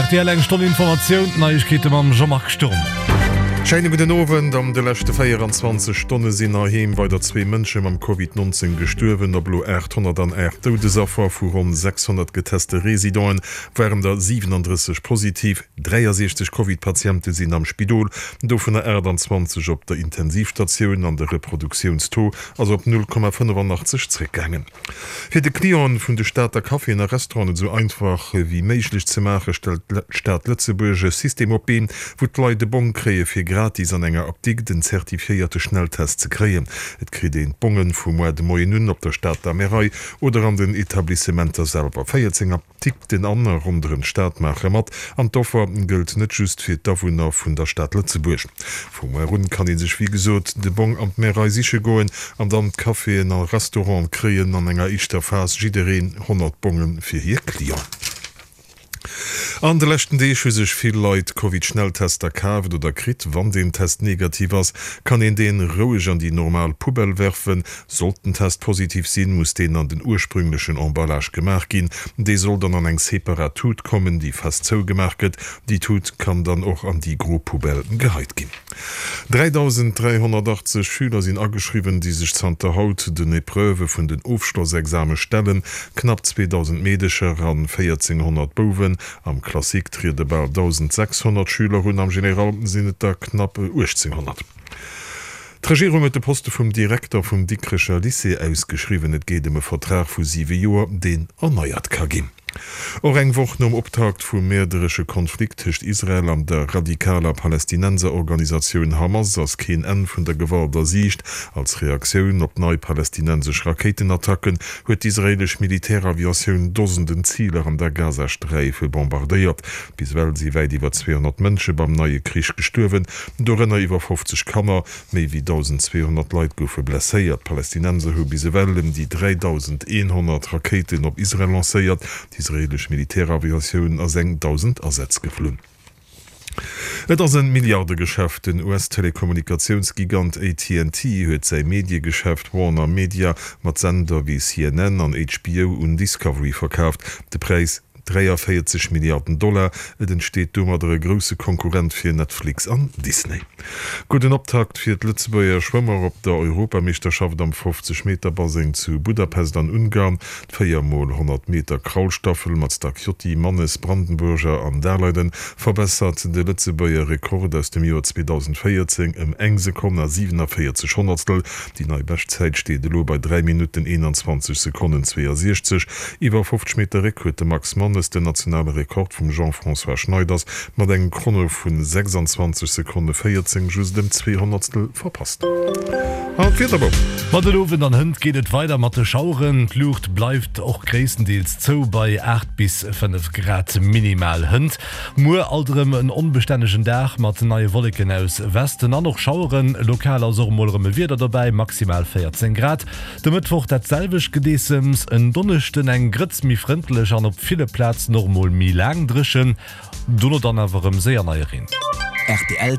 Rtl eng Stonn Informatioun, d'Neiegkeete mam Jean-Marc Sturm. Schéine gudden Owend. An de leschte 24 Stonne sinn heiheem weider zwee Mënsche mam Covid 19 gestuerwen. Op elo 808 Doudesaffer vu ronn 600 geteste Residenten waren der 37 positiv. 63 Covid-Patiente sinn am Spidol, dovunner 28 op der Intensivstatioun an de Reproduktiounstaux ass op 0,85 zréckgaangen. Fir de Clienten vun de Stater Caféen a Restauranten et esou einfach wéi méiglech ze maachen, stellt d'Stad Lëtzebuerg e System op d'Been, wou d'Leit e Bong kréie fir gratis an enger Apdikt en zertifiéierte Schnelltest ze kréien. Et kritt een d'Bongen vu moar de Moien un op der Stater Märei oder an den Etablissementer selwer. 14. D'Ticketen an a ronderëm d'Stad maache mat, an d'Offer gëllt net just fir d'Awunner vun der Stad Lëtzebuerg. Vu muer un kann ee sech wéi gesot de Bong an d'Märei siche goen an dann d'Caféen a Restaurante kréien an enger éischter Phas jiddereen 100 Bonge fir hir Clienten. An de leschten Deeg hu sech vill Leit Covid-Schnelltester kaaft oder kritt. Wann deen Test negativ ass, kann een deen roueg an déi normal Poubelle werfen. Sollt den Test positiv sinn, muss deen an den ursprünglechen Emballage gemaach ginn. Dee soll dann an eng separat Tut kommen, déi fest zougemaach gëtt. Déi Tut kann dann och an déi gro Poubelle geheit ginn. 3.380 Schüler sinn ageschriwwen, déi sech zanter haut den Epreuvë vun den Ofschlossexame stellen. Knapp 2.000 Meedecher an 1.400 Bouwen. Am Classique triede bal 1.600 Schüler un, am General sinn et der knapp 1.800. D'Regierung huet de Poste vum Direkter vum Dikrecher Lycée ausgeschriwwen. Et geet ëm e Vertrag vu siwe Joer, deen erneiert ka ginn. Och eng Woch nom Optakt vum mäerderesche Konflikt tëscht Israel an der radikaler Palästinenserorganisatioun Hamas ass keen Enn vun der Gewalt a Siicht. Als Reaktioun op nei palästinensesch Rakéitenattacken huet d'israeelesch Militäraviatioun Dosenden Ziler an der Gazasträif bombardéiert. Bis ewell si wäit iwwer 200 Mënsche beim neie Krich gestuerwen, dorënner iwwer 50 Kanner. Méi wéi 1.200 Leit goufe blesséiert. D'Palästinenser hu bis ewell ëm déi 3.100 Rakéiten op Israel lancéiert. D'israeelesch Militäraviatioun ass eng 1.000 Asätz geflunn. Et ass e Milliardegeschäft, Den US-Telekommunikatiounsgigant AT and T huet säi Mediegeschäft Warner Media mat Sender wéi CNN an HBO un Discovery verkaaft. De Präis, 43 Milliarden Dollar. Et entsteet domadder e grousse Konkurrent fir Netflix an Disney. Gudden Optakt fir d'Lëtzebuerger Schwëmmer op der Europameeschterschaft am 50 Meter Baseng zu Budapest an Ungarn. D' 4 mol 100 Meter Kraulstaffel mat Stacchiotti, Mannes, Brandenburger an Daleiden verbessert de Lëtzebuerger Rekord aus dem Joer 2014 ëm eng Sekonn a 47 Honnertstel. Déi nei Beschtzäit steet elo bei 3 Minutten 21 Sekonnen 62. Iwwer 50 Meter Réck huet de Max Mannes den nationale Rekord vum Jean-François Schneiders mat engem Chrono vu 26 Sekonne 14 just ëm zwee Honnertstel verpasst. An d'Wiederbou. Ma den Owend an hënt geet et weider mat de Schaueren. D'Luucht bleift och gréisstendeels zou bei 8 bis 5 Grad minimal hënt. Muer alt erëm en onbestännegen Dag mat neie Wolleken aus Westen an och Schaueren. Lokal ass och emol erëm e Wieder dobäi, maximal 14 Grad. De Mëttwoch dat selwecht Gedeessems, en Donneschden eng Grëtz méi frëndlech an op ville Plazen och emol méi laang dréchen, dono dann awer erëm séier neie Reen. Rtl.